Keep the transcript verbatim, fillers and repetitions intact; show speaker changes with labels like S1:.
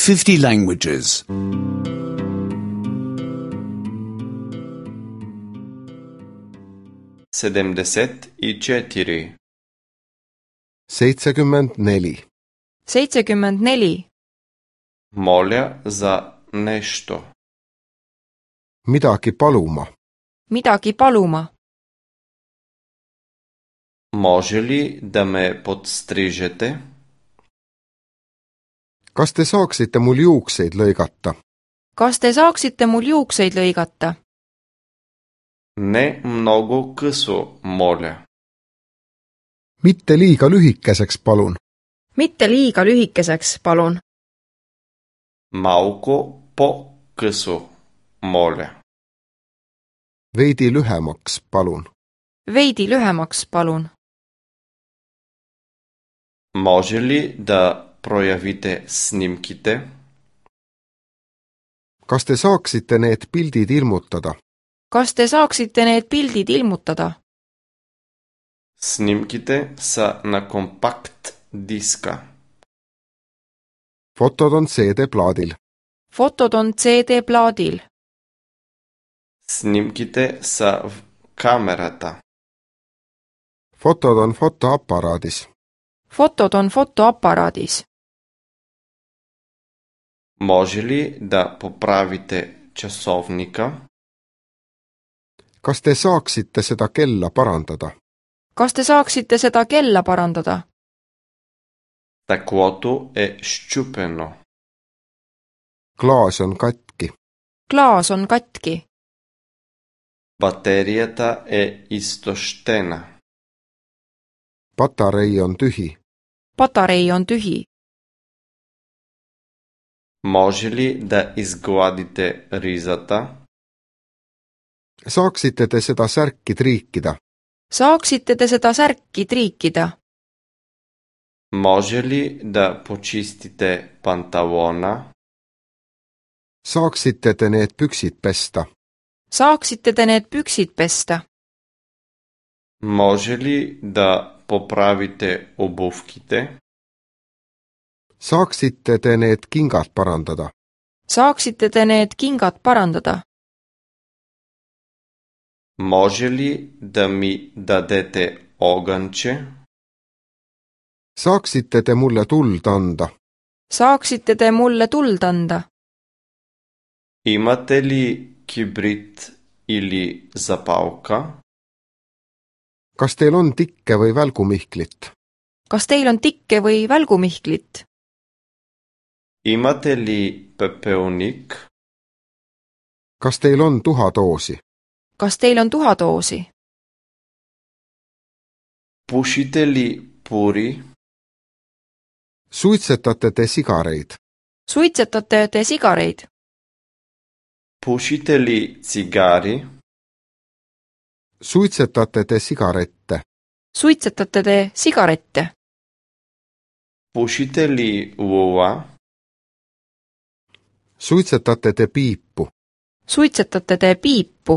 S1: fifty languages.
S2: sedemdeset i četiri.
S3: seitsekümmend neli.
S4: seitsekümmend neli.
S2: Moля za nešto.
S3: Midagi paluma.
S4: Midagi paluma.
S2: Može li da me podstrižete?
S3: Kas te saaksite mul juukseid lõigata?
S4: Kas te saaksite mul juukseid lõigata?
S2: Не много късо, моля.
S3: Mitte liiga lühikeseks, palun.
S4: Mitte liiga lühikeseks, palun.
S2: Малко по-късо, моля.
S3: Veidi lühemaks, palun.
S4: Veidi lühemaks, palun.
S2: Може ли да проявите снимките?
S3: Kas te saaksite need pildid ilmutada?
S4: Kas te saaksite need pildid ilmutada?
S2: Снимките са на компакт диска.
S3: Fotod on C D-plaadil.
S4: Fotod on C D-plaadil.
S2: Снимките са в камерата.
S3: Fotod on fotoaparaadis.
S4: Fotod on fotoaparaadis.
S2: Може ли да поправите часовника?
S3: Kas te saaksite seda kella parandada?
S4: Kas te saaksite seda kella parandada?
S2: Стъклото е счупено.
S3: Klaas on katki.
S4: Klaas on katki.
S2: Батерията е изтощена.
S3: Patarei on tühi.
S4: Patarei on tühi.
S2: Може ли да изгладите ризата?
S3: Saaksite te seda särki triikida?
S4: Saaksite te seda särki triikida?
S2: Може ли да почистите панталона?
S3: Saaksite te need püksid pesta?
S4: Saaksite te need püksid pesta?
S2: Може ли да поправите обувките?
S3: Saaksite te need kingad parandada?
S4: Saaksite te need kingad parandada?
S2: Може ли да ми дадете огънче?
S3: Saaksite te mulle tuld anda?
S4: Saaksite te mulle tuld anda?
S2: Имате ли кибрит или запалка?
S3: Kas teil on tikke või välgumihklit?
S4: Kas teil on tikke või välgumihklit?
S2: Имате ли пепелник?
S3: Kas teil on tuhadoosi?
S4: Kas teil on tuhadoosi?
S2: Пушите ли пури?
S3: Suitsetate te sigareid?
S4: Suitsetate te sigareid?
S2: Пушите ли цигари?
S3: Suitsetate te sigarette?
S4: Suitsetate te sigarette?
S2: Пушите ли лула?
S3: Suitsetate te piipu?
S4: Suitsetate te piipu?